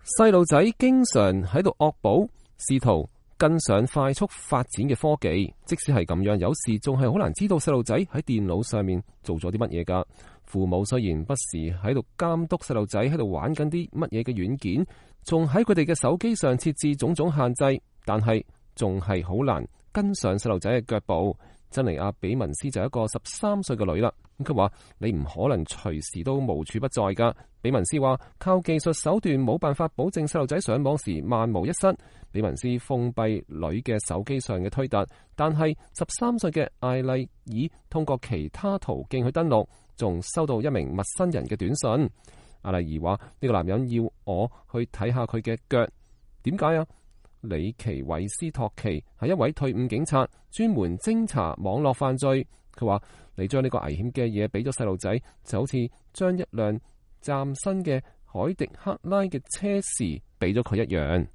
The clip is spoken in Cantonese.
細路仔經常喺度惡補，試圖跟上快速發展嘅科技。即使係咁樣，有時仲係好難知道細路仔喺電腦上面做咗啲乜嘢㗎。父母雖然不時喺度監督細路仔喺度玩緊啲乜嘢嘅軟件，仲喺佢哋嘅手機上設置種種限制，但係仲係好難跟上細路仔嘅腳步。珍妮亞比文斯就一個13歲嘅女啦，佢話你唔可能隨時都無處不在噶。比文斯話靠技術手段冇辦法保證細路仔上網時萬無一失。比文斯封閉女嘅手機上嘅推特，但係13歲嘅艾麗爾通過其他途徑去登錄，仲收到一名陌生人嘅短信。艾麗爾話呢個男人要我去睇下佢嘅腳，點解啊？里奇韋斯托奇係一位退伍警察，專門偵查網絡犯罪。佢話你將呢個危險嘅嘢俾咗細路仔，就好似將一輛嶄新嘅凱迪克拉嘅車匙俾咗佢一樣。